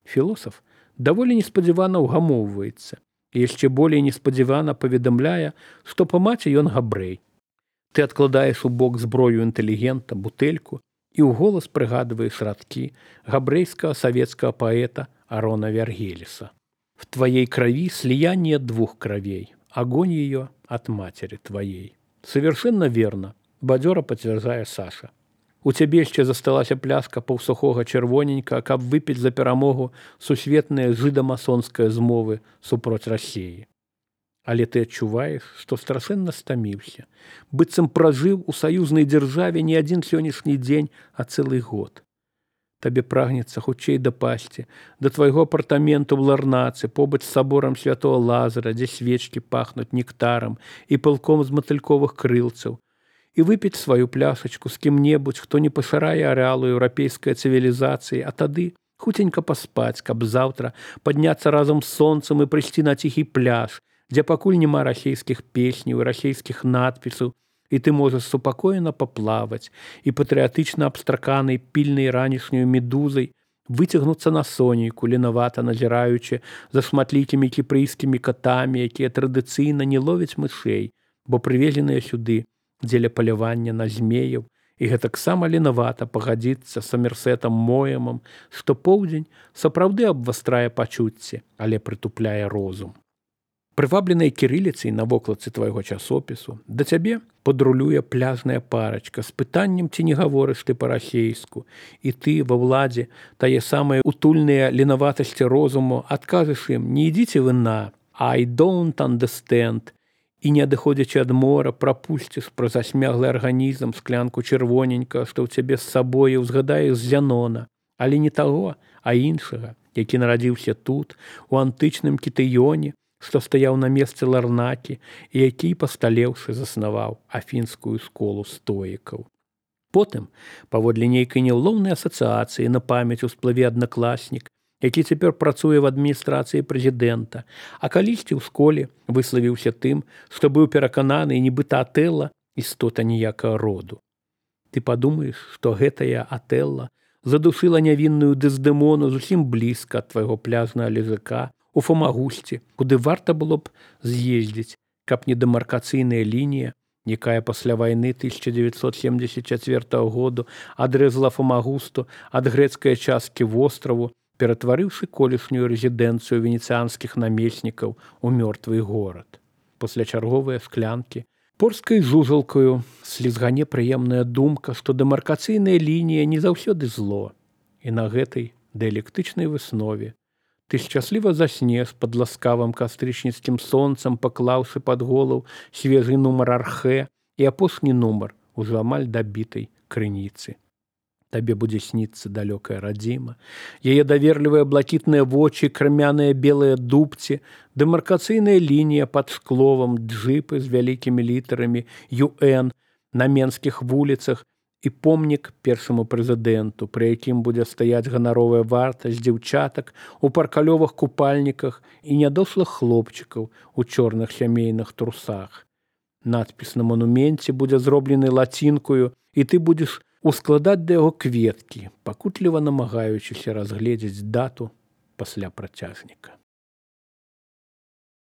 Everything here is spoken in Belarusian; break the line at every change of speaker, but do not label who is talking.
Філосаф даволі неспадзявана ўгамоўваецца і яшчэ болей неспадзявана паведамляе, што па маці ён габрэй. Ты адкладаеш у бок зброю інтэлігента, бутэльку і ў голас прыгадваеш радкі габрэйскага савецкага паэта Арона Вергеліса. В твоей крови слияние двух кровей, огонь ее от матери твоей. Совершенно верно, бадзёра пацвярджае Саша. У цябе яшчэ засталася пляшка паўсухога чырвоненька, каб выпіць за перамогу сусветныя жыда-масонская змовы супроць Расіі. Але ты адчуваеш, што страшэнна стаміўся, быццам пражыў у саюзнай дзяржаве не адзін сённяшні дзень, а цэлы год. Табе прагнецца хутчэй дапасці да твайго апартаменту ў Ларнацы побач з саборам святого Лазара, дзе свечкі пахнуць нектарам і пылком з матыльковых крылцаў, і выпіць сваю пляшачку з кім-небудзь, хто не пашырае арэалу еўрапейскай цывілізацыі, а тады хуценька паспаць, каб заўтра падняцца разам з сонцам і прыйсці на ціхі пляж, дзе пакуль няма расейскіх песняў і расейскіх надпісаў, і ты можаш супакоена паплаваць і патрыятычна абстраканай пільнай ранішняю медузай выцягнуцца на сонейку, ленавата назіраючы за шматлікімі кіпрыйскімі катамі, якія традыцыйна не ловяць мышэй, бо прывезеныя сюды дзеля палявання на змеяў, і гэтаксама ленавата пагадзіцца з Самерсетам Моэмам, што поўдзень сапраўды абвастрае пачуцці, але прытупляе розум. Прывабленай кірыліцай на вокладцы твайго часопісу да цябе падрулюе пляжная парачка з пытаннем, ці не гаворыш ты па-расейску, і ты ва ўладзе тае самыя утульныя ленаватасці розуму адкажаш ім: не ідзіце вы на «I don't understand», і не адыходзячы ад мора прапусціш праз асмяглы арганізм склянку чырвоненька, што ў цябе з сабою узгадаеш Зянона, але не таго, а іншага, які нарадзіўся тут, у антычным Кітыёне, што стаяў на месцы Ларнакі і які, пасталеўшы, заснаваў афінскую школу стоікаў. Потым, паводле нейкай няўлоўнай асацыяцыі на памяць усплыве аднакласнік, які цяпер працуе в адміністрацыі прэзідэнта, а калісьці ў школе выславіўся тым, што быў перакананы, нібыта Атэлла істота ніякага роду. Ты падумаеш, што гэтая Атэлла задушыла нявінную Дэздэмону зусім блізка ад твайго пляжнага лежака у Фамагусці, куды варта было б з'ездзіць, каб не дэмаркацыйная лінія, якая пасля вайны 1974 году адрэзала Фамагусту ад грэцкай часткі востраву, ператварыўшы колішнюю рэзідэнцыю венецыянскіх намеснікаў у мёртвы горад. Пасля чарговыя склянкі порскай жужалкаю слізгане прыемная думка, што дэмаркацыйная лінія не заўсёды зло. І на гэтай дыялектычнай выснове ты шчасліва заснеш пад ласкавым кастрычніцкім сонцам, паклаўшы пад голову свежы нумар Архэ і апошні нумар ужо амаль дабітай крыніцы. Табе будзе сніцца далёкая радзіма, яе даверлівыя блакітныя вочы, крамяныя белыя дубці, дэмаркацыйная лінія пад шкловам, джыпы з вялікімі літарамі «ЮН» на менскіх вуліцах і помнік першаму прэзідэнту, пры якім будзе стаяць ганаровая вартасць дзяўчатак у паркалёвых купальніках і нядошлых хлопчыкаў у чорных сямейных трусах. Надпіс на мануменце будзе зроблены лацінкою, і ты будзеш ускладаць да яго кветкі, пакутліва намагаючыся разгледзець дату пасля працяжніка.